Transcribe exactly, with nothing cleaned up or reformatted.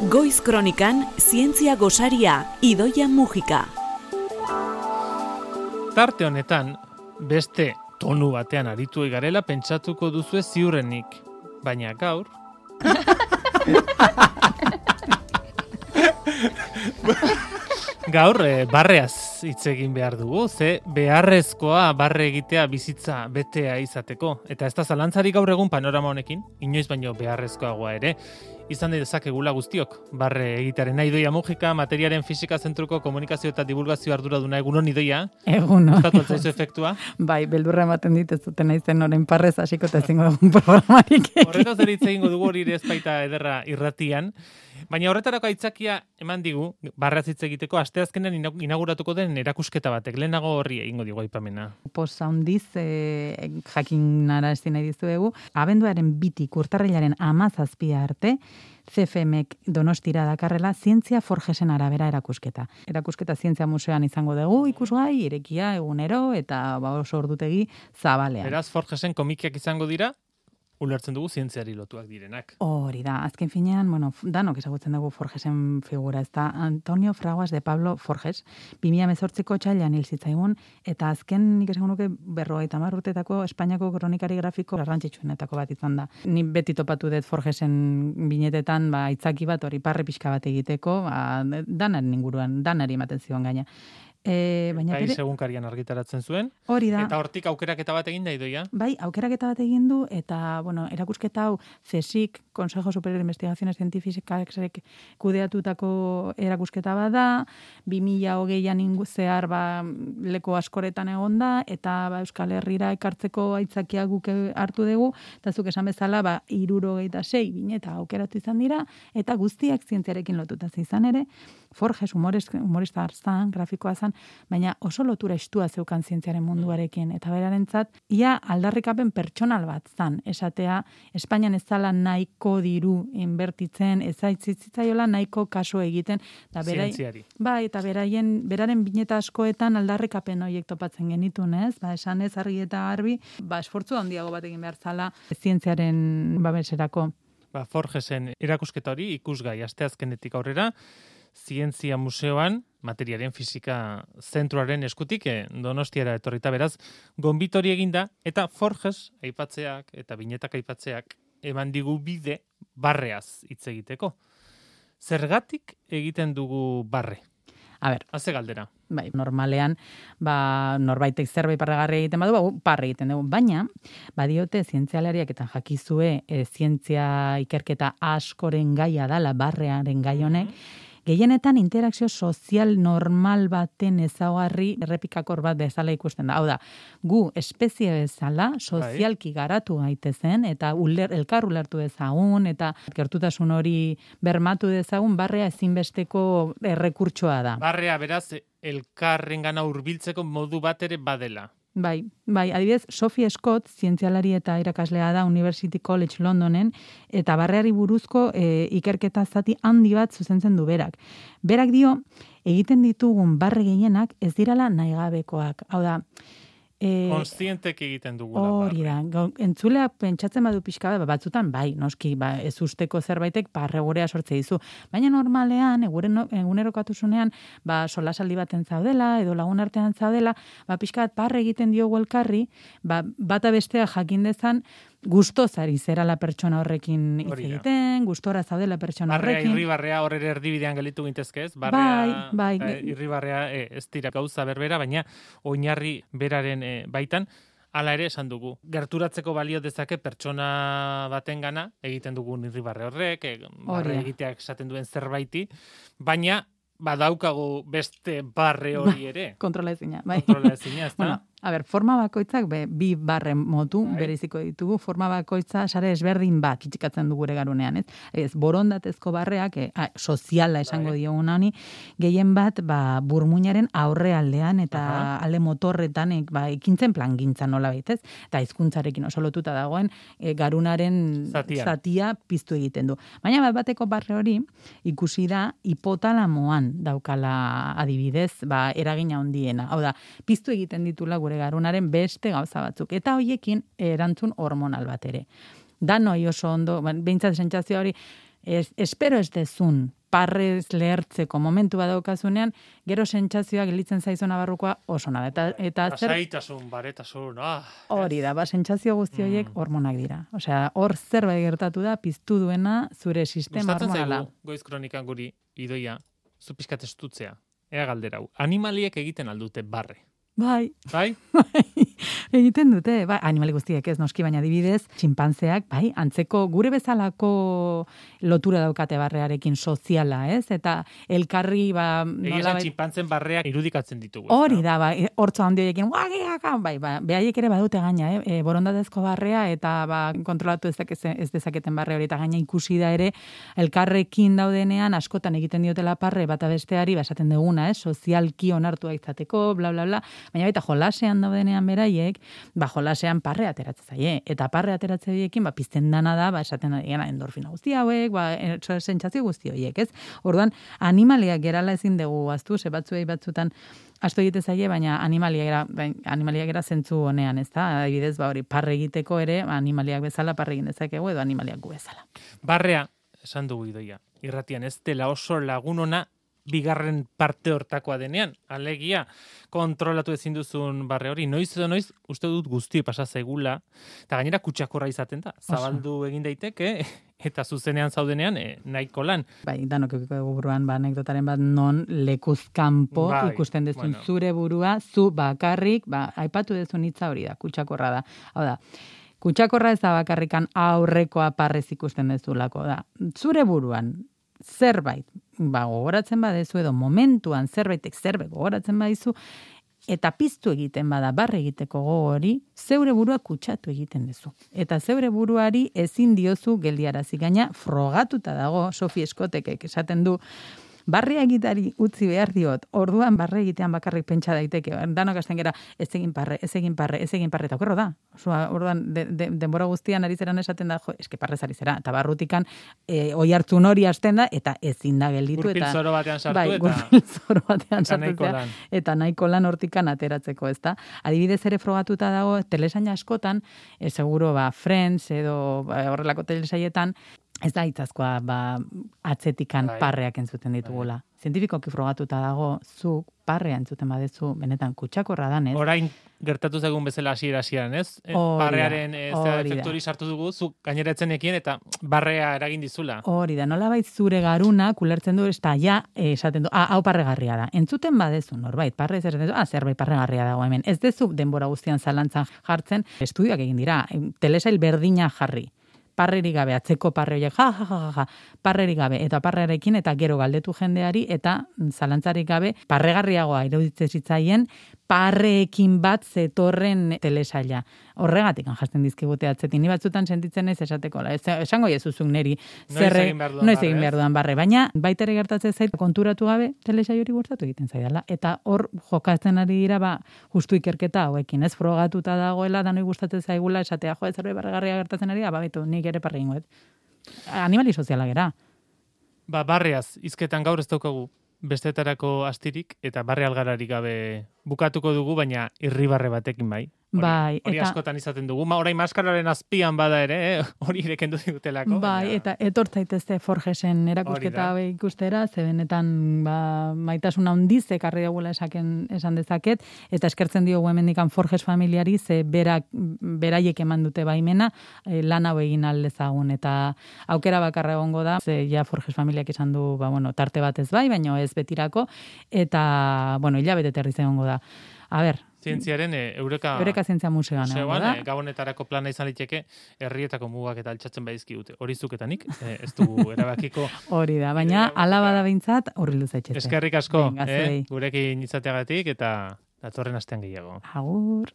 Goiz Kronikan, zientzia gosaria, Idoia Mujika. Tarte honetan, beste tonu batean aritu egarela pentsatuko duzue ziurrenik. Baina gaur... Gaur, e, barreaz hitz egin behar dugu, ze beharrezkoa barre egitea bizitza betea izateko. Eta ez da zalantzarik gaur egun panorama honekin, inoiz baino beharrezkoagoa ere. Izan dezakegula guztiok, barre egitearen Idoia Mujika, materiaren fisika zentruko komunikazio eta divulgazio arduraduna. Egunon, Idoia? Egunon. Gustatu altzaizu efektua? Bai, beldurra ematen dit ez duten aizen orain parrez hasiko eta ezingo dugun programarik. Horretaz ere hitz egingo dugu, hori ere ez baita ederra irratian. Baina horretarako aitzakia eman digu, barraz hitz egiteko, asteazkenean inauguratuko den erakusketa batek. Lehenago horri egingo digu aipamena. Posa handiz, e, jakinara ezin nahi dizuegu, abenduaren bitik urtarrilaren hamazazpia arte, C F Mek Donostira dakarrela zientzia Forgesen arabera erakusketa. Erakusketa zientzia museoan izango dugu, ikusgai, irekia, egunero, eta ba, oso ordutegi zabalean. Beraz, Forgesen komikiak izango dira, ulertzen dugu zientziari lotuak direnak. Hori da, azken finean, bueno, danok ezagutzen dugu Forgesen figura, ez da Antonio Fraguas de Pablo Forges, bi mila hemezortziko txailean hil zitzaigun, eta azken nik esango nuke berrogeita hamar urtetako Espainiako kronikari grafiko garrantzitsuenetako bat izan da. Ni beti topatu dut Forgesen binetetan, ba, itzaki bat hori parre pixka bat egiteko, ba, danaren inguruan, danari ematen zion gaina. E, baina País egunkarian argitaratzen zuen. Hori da. Eta hortik aukeraketa bat egin da, Idoia? Bai, aukeraketa bat egin du, eta, bueno, erakusketa hau C S I C, Consejo Superior de Investigaciones Científicas kudeatutako erakusketa bat da, bi mila hogeian zehar ba, leko askoretan egon da, eta ba, Euskal Herrira ekartzeko aitzakia guk hartu dugu, eta zuk esan bezala, ba, hirurogeita sei bineta aukeratu izan dira, eta guztiak zientziarekin lotuta izan ere, Forges humorista zan, grafikoa zan, baina oso lotura estua zeukan zientziaren munduarekin, eta berarentzat, ia aldarrikapen pertsonal bat zan, esatea, Espainian ez zala nahiko diru inbertitzen, ez zaitzitzitzaiola nahiko kaso egiten, eta berai, zientziari. Bai, eta beraien, beraren bineta askoetan aldarrikapen horiek topatzen genitun, ez? Ba, esan ez argi eta garbi, ba, esfortzu handiago bat egin behar zala zientziaren babeserako. Ba, Forgesen erakusketa hori ikusgai asteazkenetik aurrera, Zientzia Museoan, materiaren fisika zentroaren eskutik, eh, Donostiara etorrita beraz, gonbitori eginda, eta Forges aipatzeak eta binetak aipatzeak eman digu bide barreaz hitz egiteko. Zergatik egiten dugu barre? A ber, Haze galdera. Bai, normalean, ba, norbaitek zerbait parregarri egiten badu, ba, parre egiten dugu. Baina, badiote zientzialariak eta jakizue e, zientzia ikerketa askoren gaia dala, barrearen gai honek, gehienetan interakzio sozial normal baten ezaugarri errepikakor bat bezala ikusten da. Hau da, gu espezie bezala sozialki garatu gaitezen eta uler, elkar ulertu dezagun eta gertutasun hori bermatu dezagun, barrea ezinbesteko errekurtsoa da. Barrea beraz elkarrengana hurbiltzeko modu bat ere badela. Bai, bai, adibidez, Sophie Scott, zientzialari eta irakaslea da University College Londonen, eta barreari buruzko e, ikerketa zati handi bat zuzentzen du berak. Berak dio, egiten ditugun barre gehienak ez dirala nahigabekoak. Hau da, E, Konstientek egiten dugula. Hori da, entzulea pentsatzen badu pixka bat, batzutan bai, noski, ba, ez usteko zerbaitek parregurea sortze dizu. Baina normalean, egunerokatuzunean, ba, solasaldi baten zaudela, edo lagun artean zaudela, ba, pixka bat parre egiten diogu elkarri, ba, bata bestea jakin dezan, gustoz ari zerala pertsona horrekin hitz egiten, gustora zaudela pertsona barrea, horrekin. Irribarrea horre erdibidean gelitu gintezke ez? Barrea, bai, bai. Eh, irribarrea eh, ez dira gauza berbera, baina oinarri beraren eh, baitan, hala ere esan dugu. Gerturatzeko balio dezake pertsona batengana egiten dugun irribarre horrek, eh, barre egiteak esaten duen zerbaiti, baina badaukagu beste barre hori ere. Kontrola ezina, bai. Kontrola ezina, ez da? Bueno, a ber, forma bakoitzak be, bi barren motu bai. bereziko ditugu. Forma bakoitza sare ezberdin bat kitxikatzen dugu ere garunean, ez? Ez, borondatezko barreak, e, a, soziala esango bai. Diogun honi, gehien bat, ba, burmuinaren aurrealdean eta aha. alde motorretan, e, ba, ekintzen plangintzan nola baitez, eta hizkuntzarekin oso lotuta dagoen, e, garunaren Zatian. zatia piztu egiten du. Baina bat bateko barre hori ikusi da hipotalamoan daukala adibidez, ba, eragina handiena. Hau da, piztu egiten ditula gure garunaren beste gauza batzuk. Eta hoiekin erantzun hormonal bat ere. Danoi oso ondo, behintzat sentsazio hori, es, espero ez dezun parrez lehertzeko momentu badaukazunean, gero sentsazioa gelitzen zaizuna barrukoa oso nada. Eta, eta zer... Asaitasun, baretasun, ah. Hori da, ba, sentsazio guzti horiek Mm. hormonak dira. Osea, hor zerbait gertatu da, piztu duena zure sistema Gustatzen hormonala. zaigu, goiz kronikan guri, idoia, zu pixkat estutzea. Ea galdera hau. Animaliek egiten aldute barre. Bai, Bai? egiten dute, bai, animali guztiek ez noski, baina adibidez, txinpantzeak, bai, antzeko gure bezalako lotura daukate barrearekin soziala, ez? Eta elkarri, ba, Egia esan txinpantzen barreak irudikatzen ditugu. hori da, ba, hortzo handi horiekin, guagiaka, bai, ba, behaiek ere badute gaina, eh? E, borondatezko barrea, eta ba, kontrolatu ez, dakeze, ez dezaketen barre hori, eta gaina ikusi da ere, elkarrekin daudenean, askotan egiten diotela parre, bata besteari, ba, esaten duguna, eh? Sozialki onartua izateko, bla, bla, bla, baina baita jolasean daudenean beraiek, ba, jolasean parre ateratzen zaie, eta parre ateratze horiekin, ba, pizten dana da, ba, esaten da, endorfina guzti hauek, ba, sentsazio guzti horiek, ez? Orduan, animaliak gerala ezin dugu aztu, ze batzuei batzutan asto egite zaie, baina animaliak era, animaliak era zentzu honean, ez da? Adibidez, ba, hori, parre egiteko ere, animaliak bezala parre egin dezakegu, edo animaliak gu bezala. Barrea, esan dugu idoia, irratian ez dela oso lagunona bigarren parte hortakoa denean, alegia, kontrolatu ezin duzun barre hori, noiz edo noiz, uste dut guzti pasa zaigula, eta gainera kutsakorra izaten da, zabaldu egin daiteke, eta zuzenean zaudenean, e, nahiko lan. Bai, danok eukiko dugu buruan, ba, anekdotaren bat non lekuzkanpo Bai, ikusten dezun bueno. zure burua, zu bakarrik, ba, aipatu dezun hitza hori da, kutsakorra da. Hau da, kutsakorra ez da bakarrikan aurrekoa parrez ikusten dezulako da. Zure buruan, zerbait, ba, gogoratzen badezu edo momentuan zerbaitek zerbait gogoratzen badizu, eta piztu egiten bada barre egiteko gogo hori, zeure burua kutsatu egiten duzu. Eta zeure buruari ezin diozu geldiarazi, gaina frogatuta dago, Sophie Scottekek esaten du, barre egitari utzi behar diot, orduan barre egitean bakarrik pentsa daiteke, danok hasten gera, ez egin parre, ez egin parre, ez egin parre, eta okerro da. Osua, orduan, de, de, denbora guztian ari zeran esaten da, jo, eske parrez ari zera, eta barrutikan e, oi hartzun hori hasten da, eta ezin da gelditu. Gurpil eta zoro batean sartu, bai, eta... gurpil zoro batean eta nahiko sartu, lan. eta nahiko lan hortikan ateratzeko, ezta? Adibidez ere frogatuta dago, telesaina askotan, e, seguro, ba, Friends, edo ba, horrelako telesaietan, ez da hitzazkoa ba, atzetikan Bai. parreak entzuten ditugula. Zientifikoki frogatuta dago, zu parrea entzuten badezu, benetan kutsakorra danez. Orain gertatu zegun bezala hasiera hasieran, ez? E, Hori da, Barrearen ez da hori da. efektu hori sartu dugu, zu gainera etzenekien eta barrea eragin dizula. Hori da, nolabait zure garuna kulertzen du, eta ja, eh, esaten du, ah, hau parregarria da. Entzuten badezu, norbait, parre zer dezu, ah, zerbait parregarria dago hemen. Ez dezu denbora guztian zalantzan jartzen, estudioak egin dira, telesail berdina jarri. Parrerik gabe, atzeko parre horiek, ja, ja, ja, ja, parrerik gabe, eta parrearekin, eta gero galdetu jendeari, eta zalantzarik gabe, parregarriagoa iruditzen zitzaien, parreekin bat zetorren telesaila. Horregatik jasten dizkigute atzetik. Ni batzutan sentitzen ez esateko. La. Esango jezuzuk neri. Noiz egin behar dudan noiz barre, egin behar dudan barre. Baina, baita ere gertatzen zait, konturatu gabe, telesail hori gertatu egiten zaidala. Eta hor jokatzen ari dira, ba, justu ikerketa hauekin. Ez frogatuta dagoela, danoi gustatzen zaigula, esatea, jo, ez zerbait barregarria gertatzen ari da, ba, betu, nik ere parre ingoet. Animali soziala gera. Ba, barreaz, hizketan gaur ez daukagu bestetarako astirik, eta barre algararik gabe bukatuko dugu, baina irribarre batekin bai. Hori, Bai, hori eta- askotan izaten dugu. Ma, orain maskararen azpian bada ere, eh? Hori ere kendu digutelako. Bai, baina- eta etortzaitezte Forgesen Hori erakusketa da. hau ikustera, ze benetan ba, maitasuna handiz ekarri dugula esaken, esan dezaket, eta eskertzen diogu hemendikan Forges familiari, ze berak, beraiek eman dute baimena, eh, lan hau egin aldezagun, eta aukera bakarra egongo da, ze ja Forges familiak esan du, ba, bueno, tarte bat ez bai, baina ez betirako, eta, bueno, hilabete terriz egongo da. A ber, Zientziaren e, Eureka, Eureka Zientzia Museoan egongo museoan, da. e, gabonetarako plana izan liteke, herrietako mugak eta altxatzen badizkigute. Hori zuketanik, e, ez dugu erabakiko. Hori da, baina Ideia ala musika. bada behintzat horrildu zaitxete. Eskerrik asko, Venga, eh? zuei. Gurekin izateagatik eta datorren astean gehiago. Agur.